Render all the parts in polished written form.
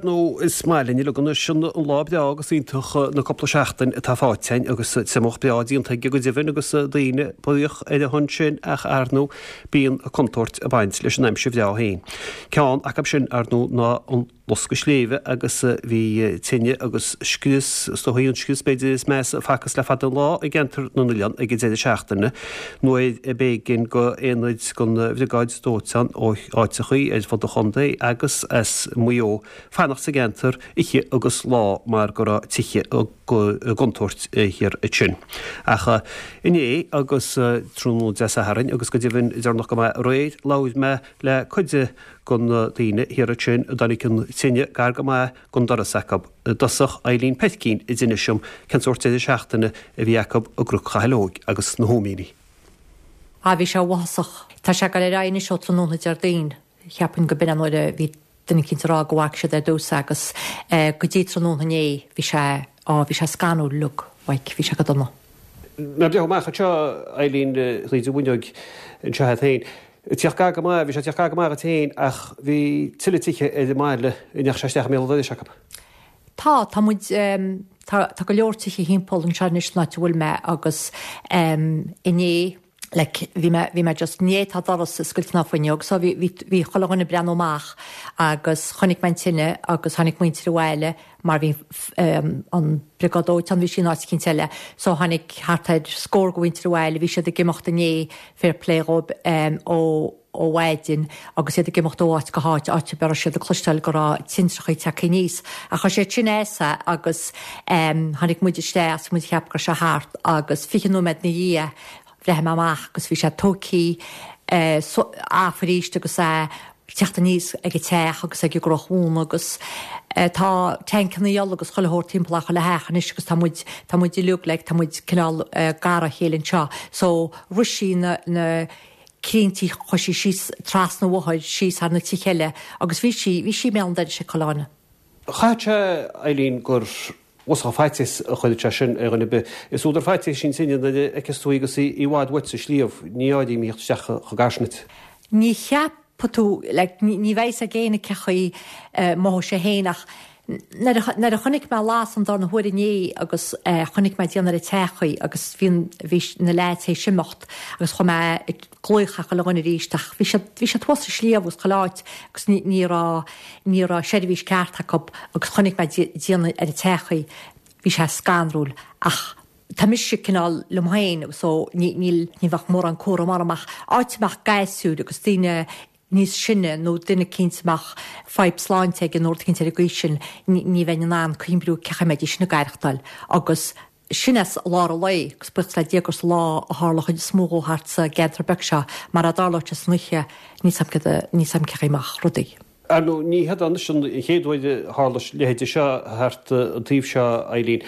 Nó is maith linn uilig anois an lá breá agus iontach na cúpla seachtain atá faighte againn agus triomach breá déanta aige go deimhin agus daoine buíoch ar a shon sin ach ar ndóigh bíonn contúirt ag baint leis an aimsir bhreá féin. Ceann acu sin ar ndóigh ná an loscadh sléibhe agus bhí tine agus scrios, is dóigh an scrios b'fhéidir is measa a facthas le fada an lá i gceantar na nOileán ag an deireadh seachtaine nuair a b'éigean go aonaid den bhriogáid dóiteáin ó áiteachaí ar fud an chontae agus as Maigh Eo fanacht sa gceantar oíche agus lá mar go raibh tithe i gcontúirt thiar ansin. Ach inné agus tráthnóna Dé Sathairn agus go deimhin deireanach go maith aréir labhair mé le cuid de na daoine thiar ansin a dtáinig an tine gar go maith gon doras acu. I dtosach Eileen Peircín a d'inis dom cén sórt deireadh seachtaine a bhí acu i gCnoc Chathail Óig agus na hÓimíní. Ah bhí sé uafásach. Tá sé ag dul ar aghaidh anois ó tráthnóna Déardaoin. Cheapfainn go b'in an uair a bhí duine eicínt ag rá go bhfaca siad ar dtús agus go dtí tráthnóna inné bhí sé, á bhí sé scanrúil uilig, like bhí sé go dona. Ná breathnú amach anseo Eileen thríd an bhfuinneoig anseo agat féin. Ag tíocht gar go maith, bhí sé ag tíocht gar go maith dhuit féin ach bhí tuilleadh tithe ar an mbaile a ndeachaigh sé isteach i mbéal an dorais acu. Tá, tá muid, tá, tá go leor tithe thimpeall anseo anois san áit a bhfuil mé agus inné, like, bhí mé, bhí mé just, inné tá doras oscailte ná fuinneog so bhí, bhí, bhí chuile dhuine ag breathnú amach agus chonaic mé an tine agus tháinig muintir abhaile mar bhí an briogáid dóiteáin, bhí sí in áit eicínt eile. So tháinig thart ar scór de mhuintir abhaile, bhí siad ag imeacht inné, fair play dhóibh, ó ó mhaidin agus iad ag imeacht ó áit go háit, áit a raibh siad ag cloisteáil go raibh tintreachaí tagtha aníos. Ach chuir sé tinneas agus tháinig muid isteach agus muid ag ceapadh go raibh sé thart agus 20 nóiméad ina dhiaidh bhreathnaigh mé amach agus bhí sé tógthaí off arís agus é ag teacht aníos ag an teach agus ag an gCroch Mhóna agus tá tancannaí ola agus chuile shórt timpeall ar chuile theach anois agus tá muid, tá muid uilig like, tá muid cineál gar dá chéile anseo so rith sí na, na crinntí, chuaigh sí síos trasna an bhóthair, síos thar na tithe eile agus bhí sí, bhí sí i mbéal an dorais ag chuile dhuine. Chaithfeadh sé, Eileen, gur bhfosfadh faitíos a chuireann sé sin ar dhuine ar bith. Is údar faitíos í an tine nuair a fheiceas tú í agus í i bhfad uait sa sliabh. Ní áirím a thíocht isteach chomh gar sin duit. Ní cheapfaidh tú, like, ní bheidh fhios ag éinne cé chaoi a mothóidh sé féin ach nuair a, nuair a chonaic mé las an darna huair inné agus chonaic mé déanamh ar an teach í agus bhí an, bhí na leaids théis imeacht agus chuaigh mé ag glaoch ar chuile dhuine arís ach bhí siad, bhí siad thuas sa sliabh agus chuile áit agus ní, ní raibh, ní raibh seirbhís ceart acu agus chonaic mé déanamh ar an teach í, bhí sé scanrúil ach tá mise cineál liom féin agus so ní, níl, ní bheadh mórán cúram orm ach áit a mbeadh gasúir agus daoine níos sine nó duine eicínt a mbeadh fadhb sláinte aige nó rud eicínt ar an gcaoi sin, ní, ní bheinn in ann cuimhniú cé chaoi a mbeidís sin ag aireachtáil agus sin é i lár an lae agus buíochas le Dia gur sa lá a tharla an chuid is mó dhó thart sa gceantar beag seo mar dá dtarlódh sé san oíche níl 's a'm céard a, níl 's a'm cé chaoi a mbeadh rudaí. Ar ndóigh, ní hiod anois an chéad uair a tharla a leithéid seo thart an taobh seo, Eileen,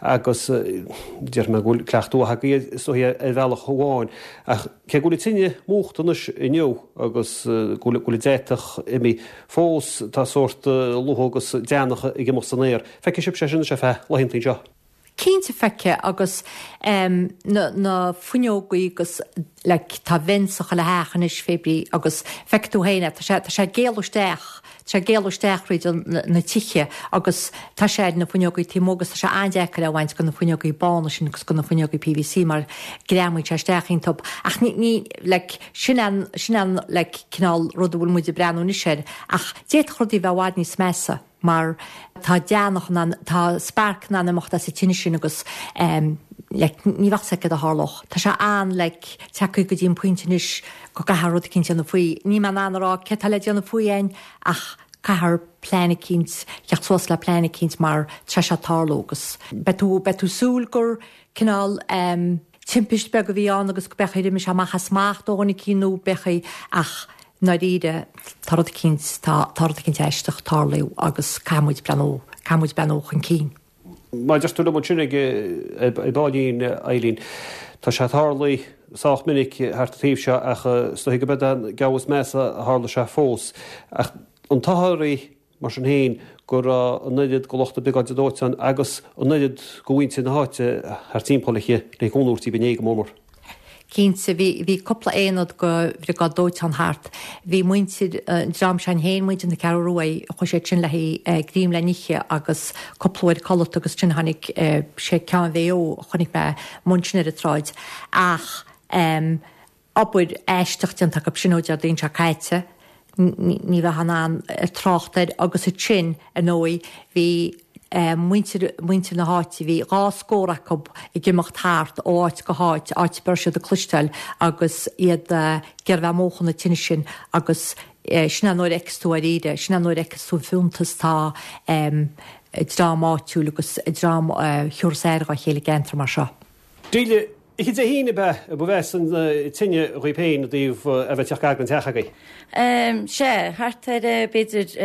agus déarfaidh mé go bhfuil cleachtadh mhaith agaibh is dóichí ar bhealach amháin. Ach cé go bhfuil an tine múchta anois inniu agus go bhfuil an deatach imithe, fós tá sórt luaith agus deannach ag imeacht san aer. Feicfidh sibh sé sin anois ar feadh laethanta anseo. Cinnte feicfidh agus na na fuinneogaí agus like tá vents i chuile theach anois fé brí agus feicfidh tú féin é tá sé tá sé ag éalú isteach tá sé ag éalú isteach thríd na na tithe agus tá sé ar na fuinneogaí taobh amuigh agus tá sé an-deacair é a bhaint de na fuinneogaí bána sin agus de na fuinneogaí PVC mar greamaíonn sé isteach iontub ach ní ní like sin an sin an like cineál rud a bhfuil muid ag breathnú anois air ach d'fhéadfadh rudaí a bheith i bhfad níos measa. mar tá deannach in ann, tá spark in ann imeacht as an tine sin agus ehm like ní bheadh 's agat céard a tharlódh. Tá sé an-like tagtha go dtí an pointe anois go gcaithfear rud eicínt a dhéanamh faoi. Níl mé in ann a rá céard tá le déanamh faoi fhéin ach caithfear plean eicínt, theacht suas le plean eicínt mar tá sé ag tarlú agus beidh tú, beidh tú súil gur cineál ehm timpist beag a bhí ann agus go b'fhéidir gur imigh sé amach as smacht ó dhuine eicínt nó b'fhéidir ach i ndáiríre tá rud eicínt, tá, tá rud eicínt aisteach ag tarlú agus caithfidh muid breathnú, caithfidh muid breathnú chun cinn. Mar a deir tú liom ansin ag, ar baillín, Eileen, tá sé ag tarlú sách minic thart an taobh seo ach is dóichí go b'é an geábh is measa a tharla sé fós. Ach an t-ádh oraibh Mar sin féin, go raibh an oiread de lucht na briogáide dóiteáin agus an oiread de mhuintir na háite thart timpeall uirthi le cúnamh a thabhairt daoibh inné go mór mór. Cinnte, bhí, bhí cúpla aonad go bhriogáid dóiteáin thart. Bhí muintir an dream sin féin, muintir na Ceathrú Ruaidh, chuaigh siad sin le haghaidh greim le n-ithe agus cúpla uair codlata agus ansin tháinig sé ceann Mhaigh Eo a chonaic mé amuigh ansin ar an tsráid. Ach obair aisteach déanta acu sin ó Déardaoin seo caite, ní bheifeá in ann trácht air agus ansin, ar ndóigh, bhí muintir, muintir na háite, bhí dhá scór acu ag imeacht thart ó áit go háit, áit a raibh siad ag cloisteáil agus iad ag iarraidh bheith ag múchadh na tine sin agus sin é nuair a fheiceas tú dáiríre, sin é nuair a fheiceas tú an fiúntas atá ag dream áitiúil agus ag dream a thiúrfas aire dhá chéile i gceantar mar seo. Delia, Oíche Dé hAoine ab ea ba mheasa an tine dhaoibh féin i dtaobh a bheith ag teacht gar don teach agaibh? Sea, thart ar b'fhéidir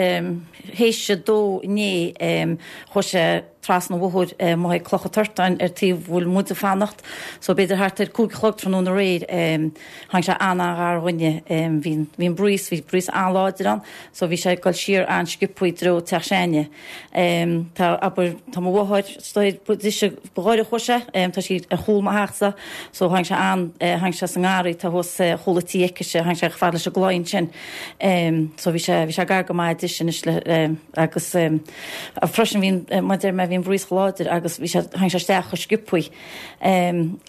théis a dó inné chuaigh sé trasna an bhóthair amuigh ag Cloch an Tortáin ar taobh a bhfuil muid ag fanacht so b'fhéidir thart ar 5 a chlog tráthnóna aréir tháinig sé an-an-ghar dhúinne. Bhí an breeze, bhí breeze an-láidir ann so bhí sé ag dul siar an-sciobthaí i dtreo teach s'againne. Tá, abair, tá mo mháthair, ba dise ba ghaire a chuaigh sé, tá sí ar chúl mo theachsa, so tháinig sé an, tháinig sé sa ngarraí atá thuas chúl an tí aicise, tháinig sé chomh fada leis an gclaí ansin. So bhí sé, bhí sé gar go maith dise anois le, agus freisin bhí an, mar a deir mé, bhí an breeze chomh láidir agus bhí sé, tháinig sé isteach chomh sciobthaí.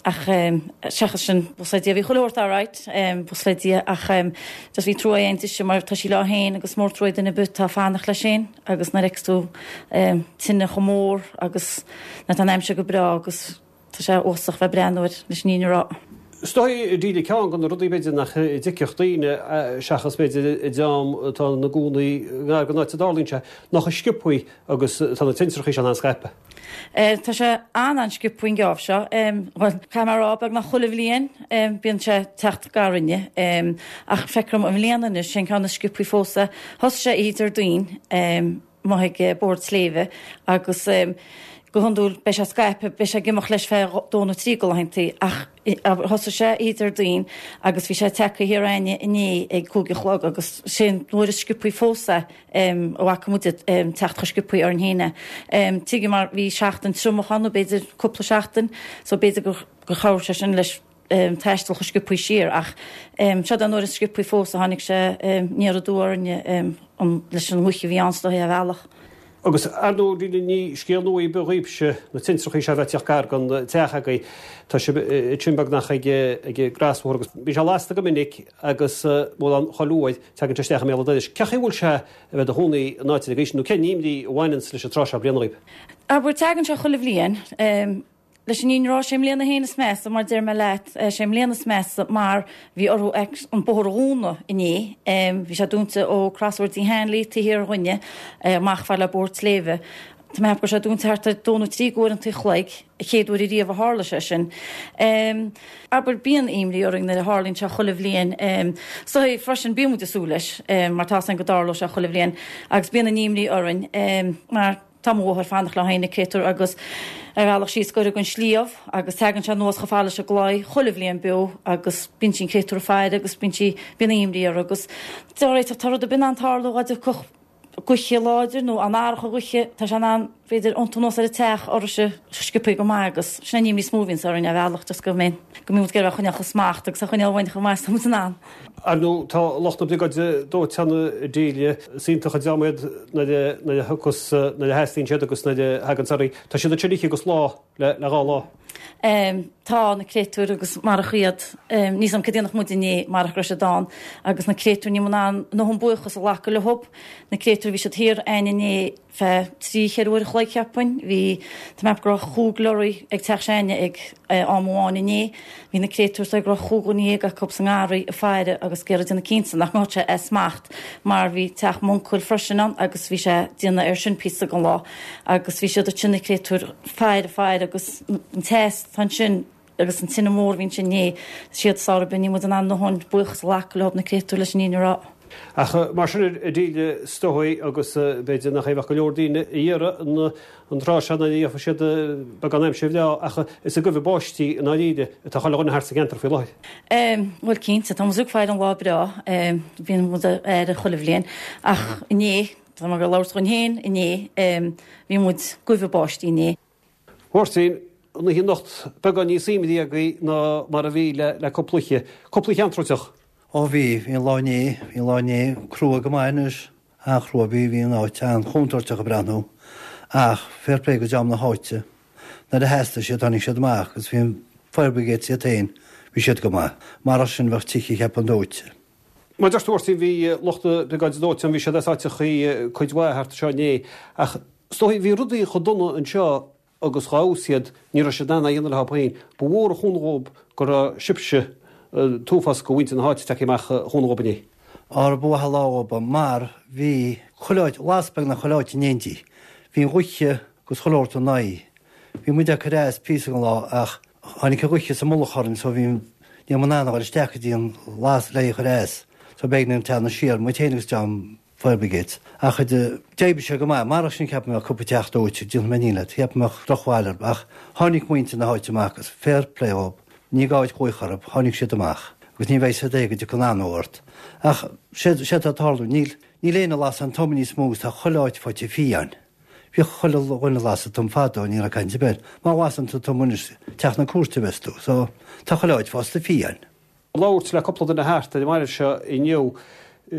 Ach seachas sin, buíochas le Dia, bhí chuile shórt alright, buíochas le Dia, ach just bhí trua againn dise mar tá sí léi féin agus mór trua duine ar bith atá ag fanacht leis féin. Agus nuair a fheiceas tú tine chomh mór agus nuair atá an aimsir go breá agus tá sé uafásach bheith ag breathnú air leis an fhírinne a rá. Is dóigh, a Delia, ceann de na rudaí b'fhéidir nach dtuigfeadh daoine, seachas b'fhéidir an dream atá ina gcónaí ngar don áit a dtarlaíonn sé, ná chomh sciobthaí agus atá na tintreachaí seo in ann scaipeadh. Tá sé an-an-sciobtha an geábh seo. Bhuel, caithfidh mé a rá, beagnach chuile bhliain bíonn sé ag teacht gar dhúinne. Ach feictear dom i mbliana anois, sé an ceann is sciobthaí fós é. Thosaigh sé oíche Déardaoin amuigh ag Bóthar an tSléibhe agus go hiondúil beidh sé scaipthe, beidh sé ag imeacht leis feadh dó nó trí de laethantaí ach thosaigh sé oíche Déardaoin agus bhí sé tagtha thiar againne inné ag cúig a chlog agus sé an uair is sciobthaí fós é. a bhfaca muid ag teacht chomh sciobthaí orainn féin é. Tuigim mar bhí seachtain triomach ann nó b'fhéidir cúpla seachtain so b'fhéidir gur chabhraigh sé sin leis taisteal chomh sciobthaí siar ach seo an uair is sciobthaí fós a tháinig sé aniar aduaidh orainne leis an ngaoth a bhí ann is dóiche ar bhealach. Agus ar ndóigh ní scéal nua ar bith dhaoibhse na tintreachaí seo a bheith ag teacht gar don teach agaibh. Tá sibh ansin beagnach ag an gcrosbhóthar agus bíonn sé lasta go minic agus mórán chuile uair tagann sé isteach i mbéal an dorais. Cén chaoi a bhfuil sé a bheith do chónaí in áit ar bith nó cén imní a bhaineanns leis an tráth seo bliana dhaoibh? Abair, tagann sé chuile bhliain. Leis an fhírinne a rá, sé i mbliana féin is measa, mar deir mé leat, sé i mbliana is measa mar bhí orthu an bóthar a dhúnadh inné. Bhí sé dúnta ó Crosbhóthar Dí Hanley taobh thiar dhúinne, amach fad le Bóthar an tSléibhe. Tá mé ag ceapadh go raibh sé dúnta thart ar dó nó trí d'uaireanta an chloig, an chéad uair ariamh a tharla sé sin. Abair, bíonn imní orainn nuair a tharlaíonn sé chuile bhliain. Is dóigh freisin, bíonn muid ag súil leis, mar tá a fhios againn go dtarlóidh sé chuile bhliain, agus bíonn an imní orainn mar tá mo mháthair ag fanacht léi féin, an créatúr, agus ar bhealach síos gaire don sliabh agus tagann sé anuas chomh fada leis an gclaí chuile bhliain beo agus bíonn sí an créatúr ag faire agus bíonn sí, bíonn imní uirthi agus dáiríre tá rud ar bith in ann tarlú dá dtiocfadh gaoth láidir nó an earrach gaoithe, tá sé in ann, b'fhéidir, iontú anuas ar an teach uirthi sciobthaí go maith agus sin an imní is mó a bhíonns orainn ar bhealach just go mbíonn, go mbíonn muid ag iarraidh a choinneáil faoi smacht agus a choinneáil uainn chomh maith is atá muid in ann. Ar ndóigh, tá lucht na briogáide dóiteáin a Delia, is iontach an dream iad nuair a, nuair a thiocfas, nuair a theastaíonn siad agus nuair a thagann oraibh. Tá siad ansin oíche agus lá le, le dhá lá. Tá na créatúir agus marach iad, níl 's a'm cad a dhéanfadh muid inné marach go raibh siad ann agus na créatúir níl muid in ann a ndóthain buíochas a ghlacadh leob. Na créatúir bhí siad thiar a'inn inné feadh trí cheithre uair a chloig cheapfainn. Bhí, tá mé ag ceapadh go raibh chúig lorry ag teach s'a'inne ag am amháin inné. Bhí na créatúir is dóigh go raibh chúig dhuine dhéag acu sa ngarraí ag faire agus ag iarraidh déanamh cinnte nach ngabhfadh sé as smacht mar bhí teach m'uncail freisin ann agus bhí sé ag déanamh air sin píosa den lá. Agus bhí siad ansin na créatúir faire faire agus an teas atá ansin agus an tine mhór a bhí ansin inné, siad sár oibre, níl muid in ann a ndóthain buíochas a ghlacadh leo na créatúir leis an fhírinne a rá. Ach mar sin a Delia is dóigh agus b'fhéidir nach é a bheadh go leor daoine a iarraidh an tráth seo nuair a gheobhaidh siad beagán aimsir bhreá ach is ag goimh báistí i ndáiríre atá chuile dhuine thart sa gceantar faoi láthair. Bhuel cinnte, tá muid ag faire an lá breá, bíonn muid ag faire chuile bhliain ach inné, Tá mé ag labhairt dhúinn féin inné, bhí muid ag goimh báistí inné. Mháirtín. an oíche anocht beagán níos imní agaibh ná mar a bhí le cúpla oíche. Cúpla oíche antrúiteach. Ó bhí, bhí an lá inné, bhí an lá inné crua go maith anois, an-chrua, bhí, bhí an áit an-chontúirteach ag breathnú ach fair play go dream na háite, nuair a theastaigh siad tháinig siad amach agus bhí an fire brigades iad féin, bhí siad go maith. Marach sin bheadh tithe cheapfainn dóite. Mar a deir tú a Mháirtín, bhí lucht na briogáide dóiteáin, bhí siad as áiteachaí cuid mhaith thart anseo inné ach is dóigh bhí rudaí chomh dona anseo agus dhá fheabhas iad, ní raibh siad in ann é a dhéanamh leo féin. Ba mhór an chúnamh dhóib go raibh sibhse, an t-uafás go mhuintir na háite tagtha amach a chúnamh dhóib inné. Á ba mhaith an lá dhóib mar bhí chuile áit, las beagnach chuile áit in éindí. Bhí an ghaoth agus chuile shórt ina aghaidh. Bhí muid ag cur as píosa den lá ach tháinig an ghaoth sa mullach orainn so bhí, ní raibh muid in ann a dhul isteach go dtí an las le í a chur as so b'éigean dúinn teannadh siar, muid féin agus dream fire brigades. Ach d'oibrigh sé go maith, marach sin ceapaim go mbeadh cúpla teach dóite, déanfaidh mé iníon leat, cheapfainn go mbeadh drochbhail orthu ach tháinig muintir na háite amach agus fair play dhób, ní gá duit glaoch orthu, tháinig siad amach agus ní bheidh siad é go dtiocfaidh an anó ort. Ach sé sé atá ag tarlú, níl, níl éinne ag lasadh an tom níos mó agus tá chuile áit faighte fiáin. Bhíodh chuile dhuine ag lasadh tom fadó, ní raibh caint ar bith air. Má lasann tú tom anois, teach na cúirte a bheas tú. So, tá chuile áit fásta fiáin. Labhairt le cúpla duine thart ar an mbaile seo inniu.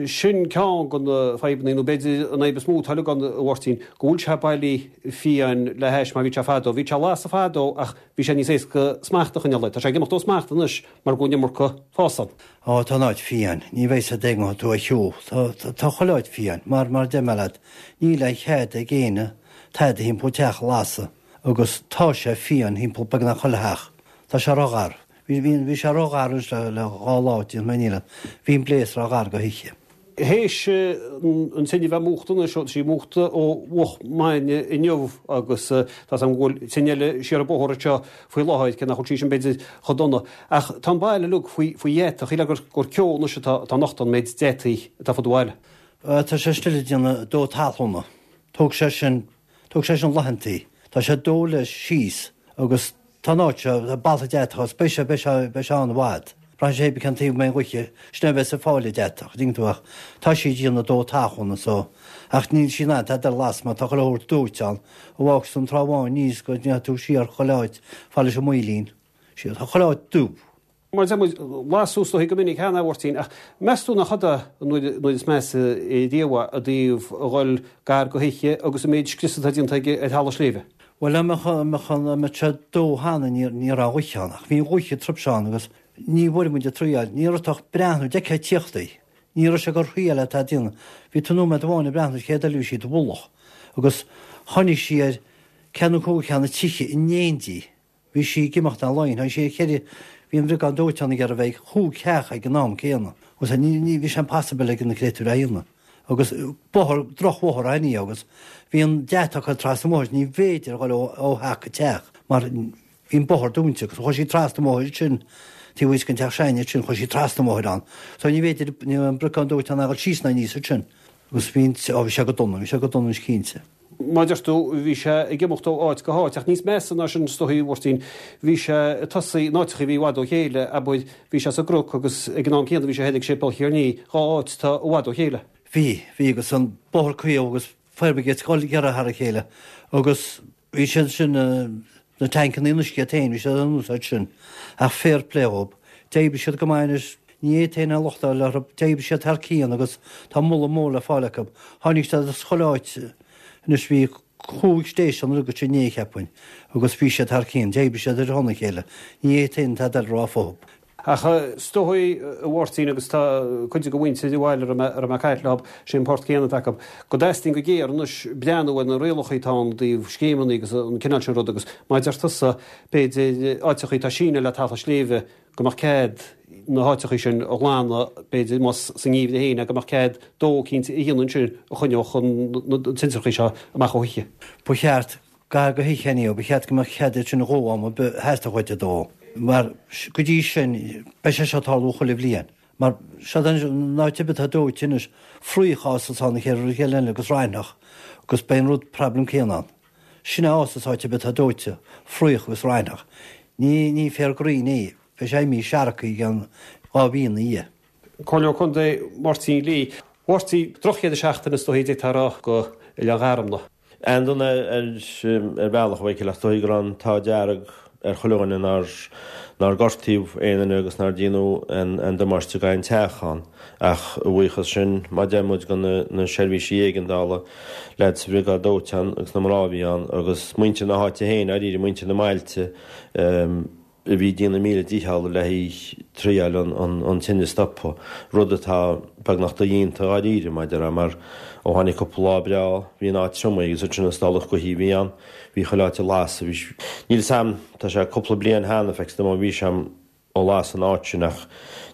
Sin ceann de na fadhbanna, nó b'fhéidir an fhadhb is mó atá uilig ann, a Mháirtín, go bhfuil sé bailí fiáin le hais mar bhí sé fadó. Bhí sé lasadh fadó ach bhí sé níos éasca smacht a choinneáil air. Tá sé ag imeacht ó smacht anois mar go bhfuil an iomarca fás ann. Ó, tá an áit fiáin. Ní bheidh sé dé tú a shiúl. Tá, tá chuile áit fiáin. Mar, mar a deir mé leat, níl aon chead ag éinne tada thimpeall teach a lasadh agus tá sé fiáin thimpeall beagnach chuile theach. Tá sé ró-gharbh. Bhí, bhí, bhí sé ró-gharbh anois le, le dhá lá, déanfaidh mé iníon leat. Bhí an blaze ró-gharbh go hoíche. Théis an tine bheith múchta anois, tá sí múchta ó mhoch maidine inniu agus tá 's agam go bhfuil tine eile siar an bóthar anseo faoi láthair, cé nach bhfuil sí sin b'fhéidir chomh dona. Ach tá an baile uilig faoi dheatach, shílfeá gur gur ceo anois atá atá nochta an méid deataigh atá fud an bhaile. Tá sé still ag déanamh dó talúna. Tóg sé sin Tóg sé sin laethantaí. Tá sé ag dó leis síos agus tá an áit seo, tá baltha deatach agus beidh sé, beidh sé, beidh sé ann i bhfad. Braitheann sé cibé cén taobh a mbeidh an ghaoth, sin é a bheas ag fáil an deatach, an dtuigeann tú, ach tá sí ag déanamh dó talúna so, ach níl sí in ann tada a lasadh mar tá chuile shórt dóite ann. An bhfágfas tú an Trá Bháin aníos go ndeachaigh tú siar chuile áit fad leis an Maoilín, siar, tá chuile áit dubh. Mar a deir muid, lasadh is dóichí go minic cheana, a Mháirtín, ach meas tú nach fada an uair is measa riamh é i dtaobh a dhul gar go hoíche agus an méid scriosa atá déanta aige ar thalamh sléibhe? Bhuel, dá mbeadh, dá mbeadh, dá mbeadh sé dó cheana ní, ní raibh an ghaoth ann, ach bhí an ghaoth ag troid ann agus ní bhfuair muid ag triail, ní raibh tú ach breathnú, d'fheicfeá ag tíocht í. Ní raibh sé gur thriail atá ag déanamh. Bhí tú nóiméad amháin ag breathnú, chéad eile bhí sí i do mhullach agus tháinig sí ar ceathrú nó cúig cheann na tithe in éindí. Bhí sí ag imeacht ar line, tháinig sí ar cheithre, bhí an bhriogáid dóiteáin ag iarraidh bheith ag chúig theach ag an am céanna. Agus ní, ní, bhí sé impossible ag na créatúir a dhéanamh. Agus bóthar, drochbhóthar ann í agus bhí an deatach ag trasna an bhóthair, ní bhféidir a dhul ó, ó theach go teach mar bhí an bóthar dúnta agus chuaigh sí trasna an bhóthair sin, taobh thuas den teach s'againne ansin, chuaigh sí trasna an bhóthair ann. So ní bhféidir, ní raibh an briogáid dóiteáin a dhul síos ná aníos ansin. Agus bhí an, ó bhí sé go dona, bhí sé go dona anois cinnte. Mar a deir tú, bhí sé ag imeacht ó áit go háit, ach níos measa ná sin is dóichí, a Mháirtín, bhí sé ag tosaí in áiteachaí a bhí i bhfad ó chéile, abair, bhí sé sa gCnoc agus ag an am céanna bhí sé thoir ag Séipéal Chiarnaí, dhá áit atá i bhfad ó chéile. Bhí, bhí, agus an Bóthar Caol agus Fire Brigades ag dul ag iarraidh thar a chéile agus bhí siad sin, na tancannaí an uisce iad féin, bhí siad in úsáid sin. Ach fair play dhób. D'oibrigh siad go maith anois, ní fhéadfainn aon locht a fháil orthu, d'oibrigh siad thar cionn agus tá moladh mór le fáil acu. Tháinig siad as chuile áit anois, bhí chúig station agat inné, cheapfainn, agus bhí siad thar cionn, d'oibrigh siad ar shon a chéile. Ní fhéadfainn tada eile a rá fúthu. Ach is dóigh, a Mháirtín, agus tá cuid de mhuintir an bhaile a raibh mé ag caint leo, sé an port céanna atá acu, go dteastaíonn go géar anois breathnú ar na rialacha atá ann i dtaobh scéimeanna agus an cineál sin rud agus mar a deir tusa, b'fhéidir áiteachaí atá sínithe le talamh sléibhe go mbeadh cead na háiteachaí sin a ghlanadh, b'fhéidir más sa ngeimhreadh féin é, go mbeadh cead dó eicínt a dhéanamh ansin a choinneodh na tintreachaí seo amach ó thithe. Ba cheart Gar go hoíche inniu, ba cheart go mbeadh cead iad sin a dhó am ar bith a theastódh uait a dó, mar go dtí sin, beidh sé seo ag tarlú chuile bhliain. Mar seo an áit ar bith atá dóite anois, fraoch a fhásas ann an chéad rud eile agus raithneach, agus beidh an rud problem céanna ann. Sin é a fhásas áit ar bith atá dóite, fraoch agus raithneach. Ní, ní féar gréine é, beidh sé imithe seargtha i gceann dá mhí ina dhiaidh. Comhairleoir Contae Máirtín Lee. Mháirtín, drochdheireadh seachtaine is dóichí d'fhéadfá a rá go Oileán Gharmna. An-dona ar bhealach, a Mhichíl, ach is dóigh go raibh an t-ádh dearg. ar chuile dhuine nár nár gortaíodh aon duine agus nár déanadh aon damáiste d'aon teach ann. Ach a bhuíochas sin, mar a deir muid, do na seirbhísí éigeandála, leaids sa bhriogáid dóiteáin agus na mná a bhí ann agus muintir na háite féin, dáiríre, muintir na mbailte a bhí ag déanamh a míle dícheall le triáil an tine a stopadh, rud atá beagnach dodhéanta dháiríre, mar a déarfá, mar ó tháinig cúpla lá breá, bhí an áit triomaithe agus ansin an stálacht gaoithe a bhí ann, bhí chuile áit ag lasadh, bhí, níl 'fhios a'm, tá sé cúpla bliain cheana, feictear dom ó bhí sé a'm, ó las an áit sin ach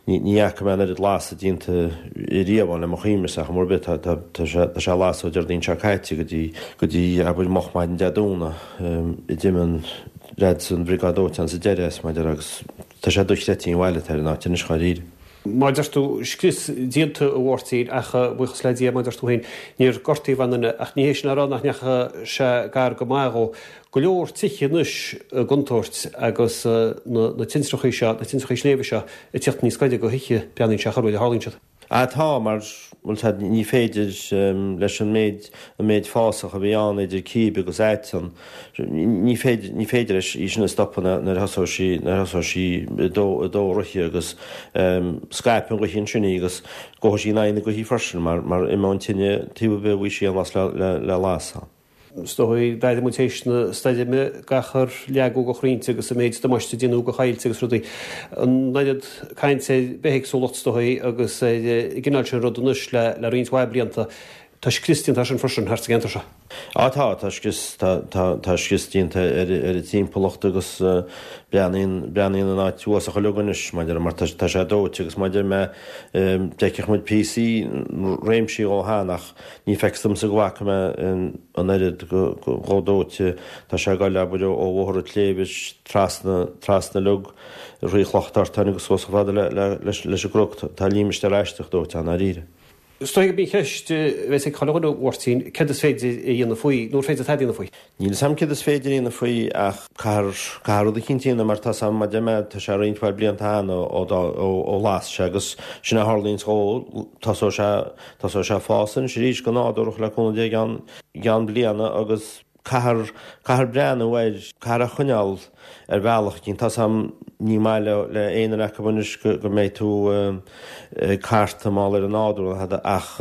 ní fhaca mé an oiread lasadh déanta riamh ann le mo chuimhne-sa ach mar bith tá tá sé tá sé ag lasadh ó Déardaoin seo caite go dtí go dtí abair moch maidin Dé Domhnaigh a d'imigh an leaids an bhriogáid dóiteáin sa deireadh as mar a déarfá agus tá sé dochreidte an bhail atá ar an áit anois dháiríre. Mar a deir tú, scrios déanta a Mháirtín ach buíochas le Dia mar a deir tú féin níor gortaíodh aon duine ach ní hé sin a rá nach ndeachaigh sé gar go maith dhó. Go leor tithe anois i gcontúirt agus na tintreachaí seo, na tintreachaí sléibhe seo ag tíocht níos gaire do thithe, breathnaíonn sé chor a tharlaíonn siad. Ah tá, mar, bhuel tá, ní féidir leis an méid, an méid fásach a bhí ann idir cíb agus aiteann, ní féidir, ní féidir leis í sin a stopadh nuair a thosóidh sí, nuair a thosóidh sí ag dó, ag dó ríthe agus scaipfidh an ghaoth ansin í agus gabhfaidh sí in aghaidh na gaoithe freisin mar, mar imeoidh an tine taobh ar bith a bhfaighidh sí aon bhlas le, le, le lasadh. Is dóigh, d'airigh muid théis na stoirme gach ar leagadh de chrainnte agus an méid damáiste a déanadh do choillte agus rudaí. An oiread cainte ar bithéagsúlacht is dóigh agus ar an gcineál sin rud anois le roinnt mhaith blianta. Tá scrios déanta air sin freisin thart sa gceantar seo. Á tá, tá scrios, tá, tá, tá scrios déanta ar ar an timpeallacht agus breathnaíonn, breathnaíonn an áit uafásach uilig anois maidir mar tá, tá sé dóite agus maidir mé d'fheicfeadh muid píosaí, réimsí dhó cheana ach Ní feictear domsa go bhfaca mé an oiread chomh dóite. Tá sé ag goil, abair, ó Bhóthar an tSléibhe trasna, trasna uilig, thrí Chloch an Tortáin agus suas chomh fada leis an gcnoc. Tá límistéar aisteach dóite ann, dáiríre. Is dóigh gurb í an cheist a bheas ag chuile dhuine, a Mháirtín, céard is féidir a dhéanamh faoi, nó ar féidir tada a dhéanamh faoi? Níl 'fhios a'm céard is féidir a dhéanamh faoi ach caithfear, caithfear rud eicínt a dhéanamh mar tá's a'm, mar deir mé, tá sé roinnt mhaith blianta cheana ó, ó las sé agus sin a tharlaíonns dhó, tosóidh sé, Tosóidh sé ag fás anois arís go nádúrach le cúnamh Dé i gceann, i gceann bliana agus caithfear, caithfear breathnú air, caithfear é a choinneáil ar bhealach eicínt. Tá's a'm ní maith le, le aon duine acu anois go, go mbeidh tú ag cartadh mar gheall ar an nádúr nó tada ach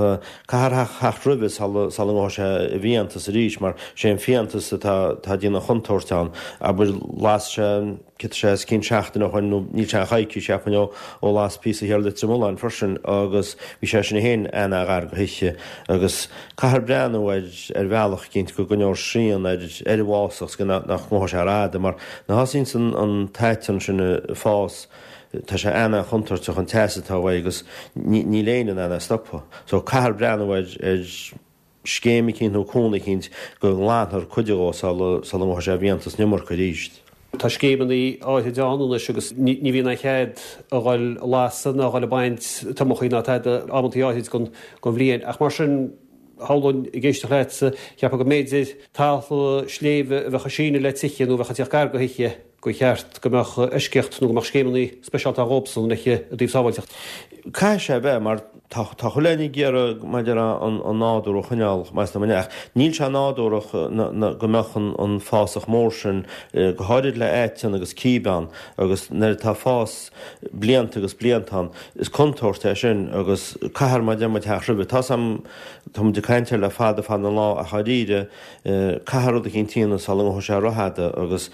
caithfear theacht roimhe sula, sula ngabhfaidh sé i bhfiántas arís mar sé an fiántas atá, atá ag déanamh chontúirt ann. Abair las sé an. Cad tá sé os cionn seachtain ó shoin nó níl sé ach coicís cheapfainn ó ó las píosa thiar Leitir Mealláin freisin agus bhí sé sin féin ana-ghar do thithe agus caithfear breathnú ar ar bhealach eicínt go gcoinneofar srian ar ar an bhfásach 's go nach ngabhfaidh sé ar fhada mar nuair a thosaíonns an an t-aiteann sin ag fás tá sé ana-chontúirteach an teas atá uaidh agus ní níl éinne in ann é a stopadh so caithfear breathnú ar ar scéim eicínt nó cúnamh eicínt go nglanfar cuid dhó sula ngabhfaidh sé i bhfiántas an iomarca arís. Tá scéimeanna áithrid ann anois agus ní bhíonn aon chead a dhul a lasadh ná a dhul ag baint tomachaí ná tada amantaí áithrid den bhliain. Ach mar sin, shamhlóinn, ag éisteacht leatsa, cheapfá go mb'fhéidir talamh sléibhe a bheadh ag síneadh le tithe nó a bheadh ag tíocht gar do thithe, gur cheart go mbeadh eisceacht nó go mbeadh scéimeanna speisialta ann dhóibhsan i dtaobh sábháilteacht. Caithfidh sé a bheith, mar tá tá chuile dhuine ag iarraidh maidir an an nádúr a choinneáil meas tú ach níl sé nádúrach go mbeadh an an fásach mór sin, go háirid le aiteann agus cíb ann agus nuair atá fás blianta agus blianta ann, is contúirt é sin agus caithfear mar a deir muid theacht roimhe. Tá's a'm, tá muid ag caint air le fada fada an lá ach dháiríre, Caithfear rud eicínt a dhéanamh sula ngabhfaidh sé rófhada agus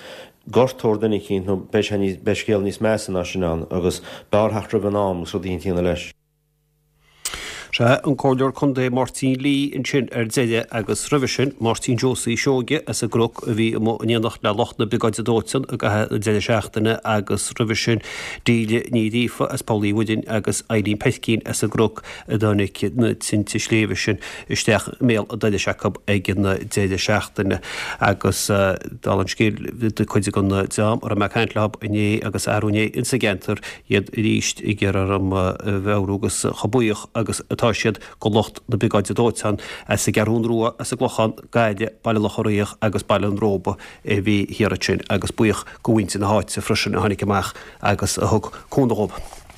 gortófar duine eicínt nó beidh sé níos, beidh scéal níos measa ná sin ann agus b'fhearr theacht roimh an am agus rud eicínt a dhéanamh leis. Sea, an Comhairleoir Contae Máirtín Lee ansin ar deireadh agus roimhe sin Máirtín Josie Seoige as an gCnoc a bhí amuigh in éineacht le lucht na Briogáide Dóiteáin i gcaitheamh an deireadh seachtaine agus roimhe sin Delia Ní Ghríofa as Poll Uí Mhuirinn agus Eileen Peircín as an gCnoc a dtáinig na tinte sléibhe sin isteach i mbéal an dorais acu ag an deireadh seachtaine agus dála an scéil cuid den dream a raibh mé ag caint leo inné agus arú inné insa gceantar iad arís ag iarraidh orm a mheabhrú agus chomh buíoch agus atá siad go lucht na Briogáide Dóiteáin as an gCeathrún Rua, as an gClochán, Gaillimh, Baile Locha Riach agus Baile an Róba a bhí thiar ansin agus buíoch go mhuintir na háite freisin a tháinig amach agus a thug cúnamh dhóibh.